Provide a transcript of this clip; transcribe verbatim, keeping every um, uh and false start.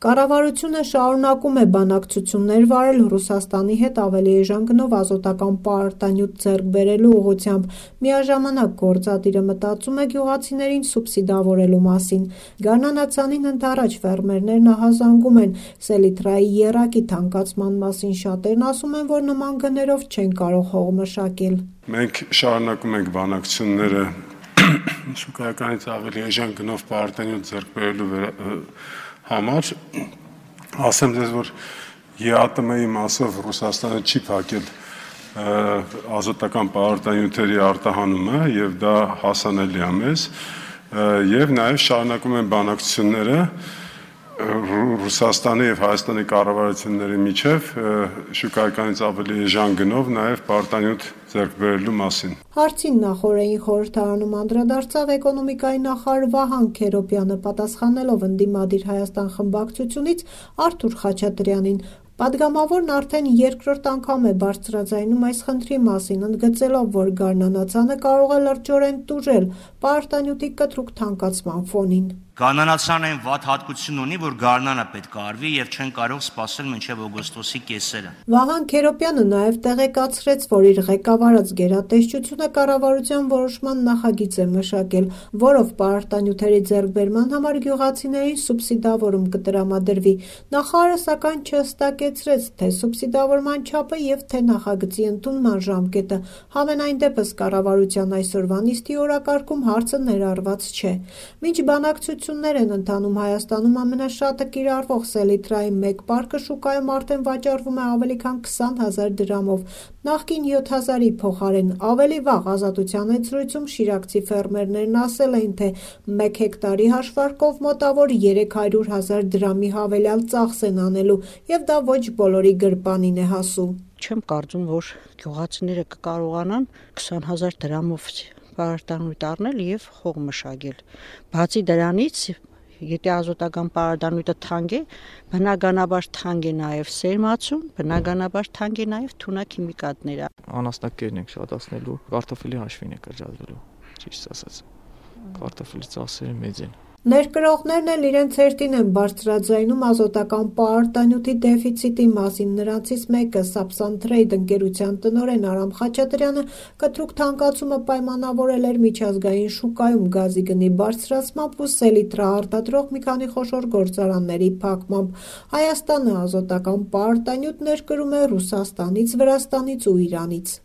Կառավարությունը շարունակում է բանակցություններ վարել Ռուսաստանի հետ ավելի էժան գնով ազոտական պարտանյութ ձեռք բերելու ուղղությամբ, միաժամանակ գործադիրը մտածում է գյուղացիներին սուբսիդավորելու մասին։ Գարնանացանին ընդառաջ ֆերմերներն ահազանգում են սելիտրայի եռակի թանկացման մասին, շատերն ասում են, որ նման գներով չեն կարող հող մշակել։ Մենք շարունակում ենք բանակցությունները շուկայականից ավելի էժան գնով պարտանյութ ձեռք բերելու համար, ասեմ ձեզ, որ ԵԱՏՄ-ի մասով Ռուսաստանը չի փակել ազոտական պարտանյութերի արտահանումը եւ դա հասանելի է մեզ, եւ նաեւ շարունակում են բանակցությունները Ռուսաստանի եւ Հայաստանի կառավարությունների միջև շուկայականից ավելի էժան գնով նաեւ պարտանյութ ձեռք բերելու մասին։ Հարցին նախօրեին խորհրդարանում անդրադարձավ էկոնոմիկայի նախարար Վահան Քերոբյանը, պատասխանելով ընդդիմադիր Հայաստան խմբակցությունից Արթուր Խաչատրյանին։ Պատգամավորն արդեն երկրորդ անգամ է բարձրաձայնում այս խնդրի մասին, ընդգծելով, որ գարնանացանը կարող է լրջորեն տուժել պարտանյութի կտրուկ թանկացման ֆոնին։ Գարնանացանը այն վատ հատկություն ունի, որ գարնանը պետք է արվի եւ չեն կարող սպասել մինչեւ օգոստոսի կեսերը։ Վահան Քերոբյանը նաեւ տեղեկացրեց, որ իր ղեկավարած գերատեսչությունը կառավարության որոշման նախագիծ է մշակել, որով պարտանյութերի ձեռքբերման համար գյուղացիներին սուբսիդավորում կտրամադրվի։ Նախարարը սակայն չհստակեցրեց թե սուբսիդավորման չափը եւ թե նախագծի ընդունման ժամկետը։ Համենայն դեպս կառավարության այսօրվա նիստի օրակարգում հարցը ներառված չէ։ Մինչ բանակցություններ են ընթանում Հայաստանում, ամենաշատը կիրառվող սելիտրայի մեկ պարկը շուկայում արդեն վաճառվում է ավելի քան քսան հազար դրամով, նախկին յոթ հազարի փոխարեն։ Ավելի վաղ Ազատության այցրույցում շիրակցի ֆերմերներն ասել էին, թե մեկ հեկտարի հաշվարկով մոտավոր երեք հարյուր հազար դրամի հավելյալ ծախս են անելու, եւ դա ոչ բոլորի գրպանին է հասու։ Չեմ կարծում, որ գյուղացիները կկարողանան քսան հազար դրամով պարտանյութ առնել եւ հող մշակել։ Բացի դրանից, եթե ազոտական պարտանյութը թանկ է, բնականաբար թանկ է նաեւ սերմացում, բնականաբար թանկ է նաեւ թունաքիմիկատները։ Անասնակերն ենք շատացնելու, կարտոֆիլի հաշվին է կրճատվելու, ճիշտ ասած։ Կարտոֆիլի ծախսերը մեծ են։ Ներկրողներն էլ իրենց հերթին են բարձրաձայնում ազոտական պարտանյութի դեֆիցիտի մասին։ Նրանցից մեկը Sapsan Trade ընկերության տնօրեն Արամ Խաչատրյանը կտրուկ թանկացումը պայմանավորել էր միջազգային շուկայում գազի գնի բարձրացմամբ ու սելիտրա արտադրող մի քանի խոշոր գործարանների փակմամբ։ Հայաստանը ազոտական պարտանյութ ներկրում է Ռուսաստանից, Վրաստանից ու Իրանից։